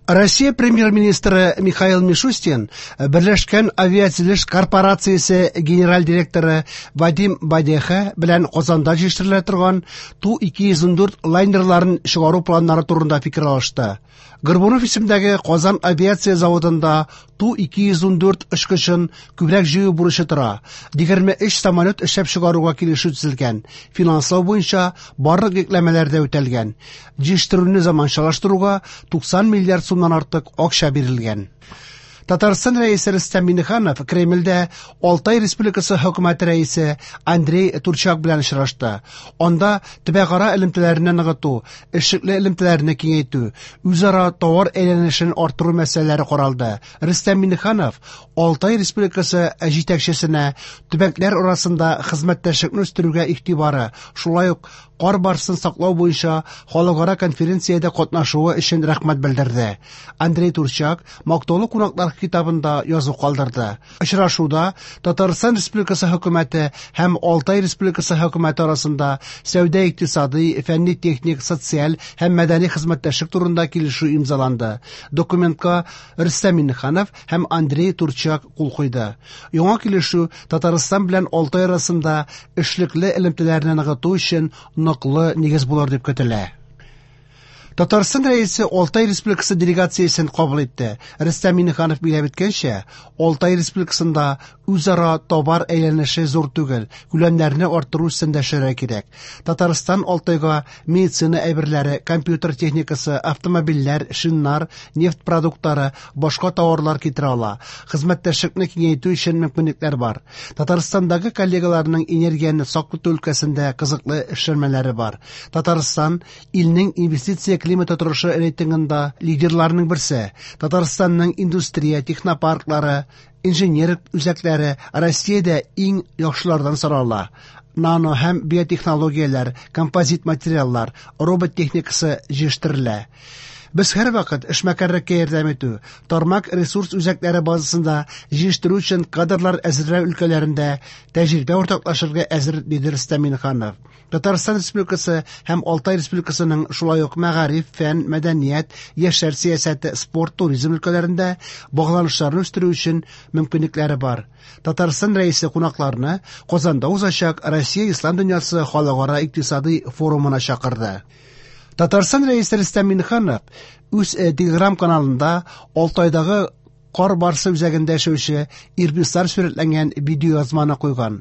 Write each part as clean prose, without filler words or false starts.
Россия премьер-министры Михаил Мишустин Берләшкән авиатөзелеш корпорациясе генераль директоры Вадим Бадеха белән Казанда җитештерелә торган Ту-214 лайнерларын чыгару планнары турында фикер алышты. Горбунов исемендәге Казан авиация заводында Ту-214 очкычын күбрәк җыю бурычы тора. 23 самолет эшләп чыгаруга килешү төзелгән. Финанслау буенча барлык йөкләмәләр дә үтәлгән. Җитештерүне заманчалаштыруга 90 миллиард сумнан артык акча бирелгән. Татарстан Рәисе Рөстәм Миңнеханов Кремльдә Алтай Республикасы хөкүмәте рәисе Андрей Турчак белән очрашты. Анда төбәкара элемтәләрне ныгыту, эшлекле элемтәләрне киңәйтү, үзара товар әйләнешен арттыру мәсьәләләре каралды. Рөстәм Миңнеханов Алтай Республикасы җитәкчесенә төбәкләр арасында хезмәттәшлекне үстерүгә игътибары, шулай ук кар барсын саклау буенча халыкара конференциядә катнашуы өчен рәхмәт белдерде. Андрей Турчак мактаулы кунаклар китабында язу калдырды. Очрашуда Татарстан Республикасы хөкүмәте һәм Алтай Республикасы хөкүмәте арасында сәүдә-икътисадый, фәнни-техник, социаль һәм мәдәни хезмәттәшлек турында килешү имзаланды. Документка Рөстәм Миңнеханов һәм Андрей Турчак кул куйды. Яңа килешү Татарстан белән Алтай арасында эшлекле элемтәләрне ныгыту өчен ныклы нигез булыр дип көтелә. Татарстан Рәисе Алтай Республикасы делегациясен кабул итте. Рөстәм Миңнеханов билгеләп үткәнчә, Алтай Республикасында үзара товар әйләнеше зур түгел, күләмнәрне арттыру өстендә эшләргә кирәк. Татарстан Алтайга медицина әйберләре, компьютер техникасы, автомобильләр, шиннар, нефть продуктлары, башка товарлар китерә ала. Хезмәттәшлекне киңәйтү өчен мөмкинлекләр бар. Татарстандагы коллегаларның энергияне сак тоту өлкәсендә кызыклы эшләнмәләре бар. Татарстан илнең инвестиция климаты торышы рейтингында лидерларның берсе. Татарстанның индустрия, технопарклары, инженерлек үзәкләре Россиядә иң яхшылардан санала. Нано һәм биотехнологияләр, композит материаллар, робот техникасы җитештерелә. Без һәрвакыт эшмәкәрлеккә ярдәм итү, тармак ресурс үзәкләре базасында җитештерү өчен кадрлар әзерләү өлкәләрендә тәҗрибә уртаклашырга әзер, диде Рөстәм Миңнеханов. Татарстан Республикасы һәм Алтай Республикасының шулай ук мәгариф, фән, мәдәният, яшьләр сәясәте, спорт, туризм өлкәләрендә багланышларны үстерү өчен мөмкинлекләре бар. Татарстан Рәисе кунакларны Казанда узачак Россия Ислам дөньясы халыкара икътисадый форумына чакырды. Татарстан Рәисе Рөстәм Миңнеханов үз Телеграм каналында Алтайдагы кар барсы үзәгендә яшәүче ирбислар сурәтләнгән видеоязманы куйган.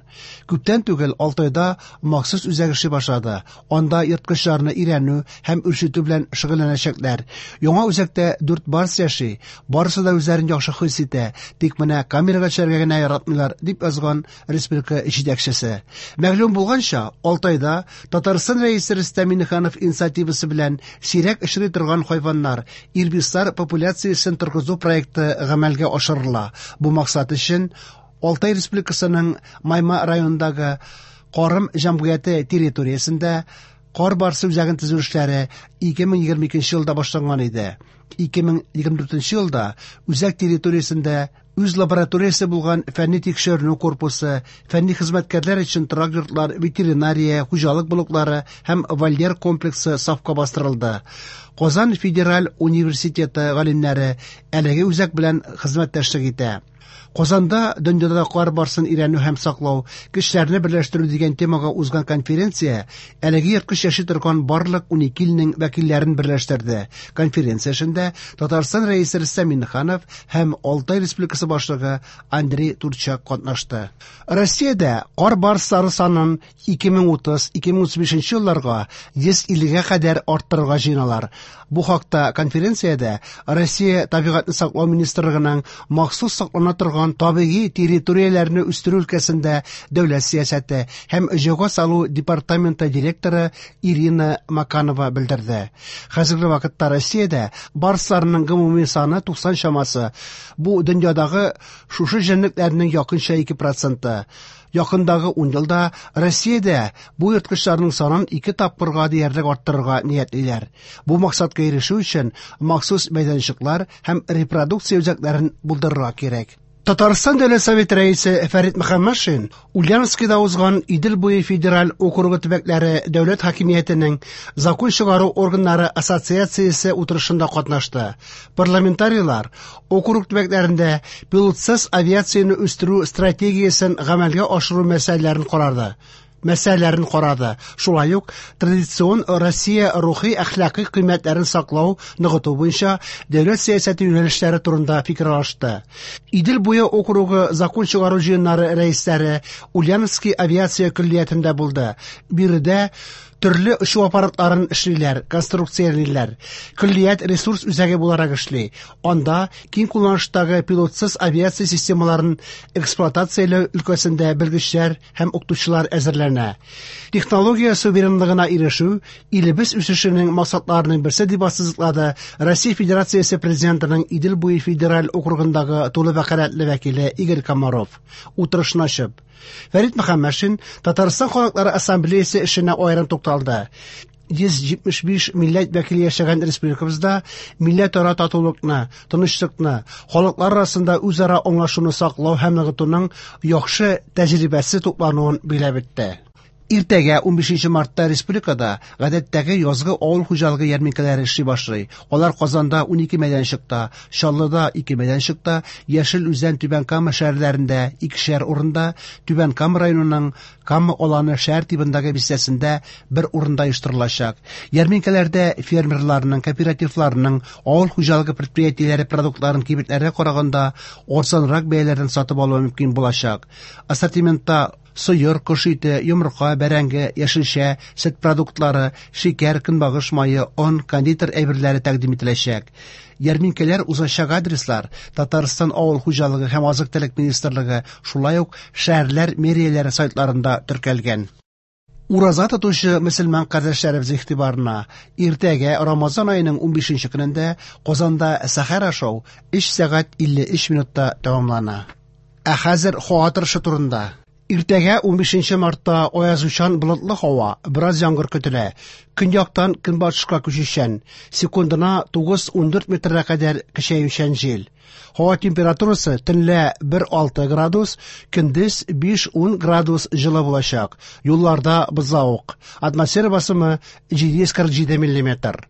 Күптән түгел Алтайда махсус үзәк эшли башлады. Анда ерткычларны өйрәнү һәм үрчетү белән шөгыльләнәчәкләр. Яңа үзәктә дүрт барс яши. Барысы да үзләрен яхшы хис итә, тик менә камерага төшәргә генә яратмыйлар, дип язган республика җитәкчесе. Мәгълүм булганча, Алтайда Татарстан Рәисе Рөстәм Миңнеханов инициативасы белән сирәк очрый торган хайваннар, ирбислар популяциясен торгызу проекты гамәлгә ашырыла. Бу максат өчен Алтай Республикасының Майма районындагы Карым җәмгыяте территориясендә кар барсы үзәген төзү эшләре 2022 елда башланган иде. 2024 елда үзәк территориясендә үз лабораториясе булган фәнни тикшеренү корпусы, фәнни хезмәткәрләр өчен торак йортлар, ветеринария, хуҗалык блоклары һәм вольер комплексы сафка бастырылды. Казан федераль университеты галимнәре әлеге үзәк белән хезмәттәшлек итә. Казанда дөньяда кар барсын өйрәнү һәм саклау, көчләрне берләштерү дигән темага узган конференция әлеге ерткыч яши торган барлык 12 илнең вәкилләрен берләштерде. Конференция эшендә Татарстан Рәисе Рөстәм Миңнеханов һәм Алтай Республикасы башлыгы Андрей Турчак катнашты. Россиядә кар барслары санын 2030-2035 елларга 150-гә кадәр арттырырга җыеналар. Бу хакта конференциядә Россия табигатьне саклау министрлыгының махсус саклана торган табигый территорияләрне үстерү өлкәсендә дәүләт сәясәте һәм җайга салу департаменты директоры Ирина Маканова белдерде. Хәзерге вакытта Россиядә барсларның гомуми саны 90 чамасы. Бу дөньядагы шушы җәнлекләрнең якынча 2 проценты. Якындагы 10 елда Россиядә бу ерткычларның санын ике тапкырга диярлек арттырырга ниятлиләр. Бу максатка ирешү өчен махсус мәйданчыклар һәм репродукция үзәкләрен булдырырга кирәк. Татарстан Дәүләт Советы рәисе Фәрит Мөхәммәтшин Ульяновскида узган Идел буе федераль округы төбәкләре дәүләт хакимиятенең закон чыгару органнары ассоциациясе утырышында катнашты. Парламентарийлар округ төбәкләрендә пилотсыз авиацияне үстерү стратегиясен гамәлгә ашыру мәсьәләләрен карады. Шулай ук традицион Россия рухи әхлакый кыйммәтләрен саклау, ныгыту буенча дәүләт сәясәте юнәлешләре турында фикер алышты. Идел буе округы закон чыгару җыеннары рәисләре Ульяновский авиация көллиятендә булды. Биредә төрле очу аппаратларын эшлиләр, конструкциялиләр. Көллият ресурс үзәге буларак эшли. Анда киң кулланыштагы пилотсыз авиация системаларын эксплуатацияләү өлкәсендә белгечләр һәм укытучылар әзерләнә. Технология суверенлыгына ирешү илебез үсешенең максатларының берсе дип ассызыклады Россия Федерациясе Президентының Идел буе федераль округындагы тулы вәкаләтле вәкиле Игорь Комаров. Утырышны ачып, Фәрит Мөхәммәтшин Татарстан халыклары ассамблеясы эшенә аерым тукталды. 175 милләт вәкиле яшәгән республикабызда милләтара татулыкны, тынычлыкны, халыклар арасында үзара аңлашуны саклау һәм ныгытуның яхшы тәҗрибәсе туплануын билгеләп үтте. Иртәгә 15 мартта республикада гадәттәге язгы авыл хуҗалыгы ярминкәләре эшли башлый. Алар Казанда 12 мәйданчыкта, Чаллыда 2 мәйданчыкта, Яшел Үзән, Түбән Кама шәһәрләрендә 2шәр урында, Түбән Кама районының Кама аланы шәһәр тибындагы бистәсендә бер урында оештырылачак. Ярминкәләрдә фермерларның, кооперативларның, авыл хуҗалыгы предприятиеләре продуктларын кибетләргә караганда арзанрак бәяләрдән сатып алу мөмкин булачак. Ассортиментта сыер, кош ите, йомырка, бәрәңге, яшелчә, сөт продуктлары, шикәр, көнбагыш мае, он, кондитер әйберләре тәкъдим ителәчәк. Ярминкәләр узачак адреслар Татарстан авыл хуҗалыгы һәм азык-төлек министрлыгы, шулай ук шәһәрләр мэрияләре сайтларында теркәлгән. Ураза тотучы мөселман кардәшләребез игътибарына иртәгә Рамазан аеның 15 көнендә Казанда сәхәр ашау 3 сәгать 53 минутта тәмамлана. Ә хәзер һава торышы турында. Иртәгә 15 мартта аязучан болытлы һава, бераз яңгыр көтелә. Көньяктан көнбатышка күчүчән, секундына 9-14 метрга кадәр көчәючән җил. Һава температурасы төнлә 1-6 градус, көндез 5-10 градус җылы булачак. Юлларда бозлавык. Атмосфера басымы 747 миллиметр.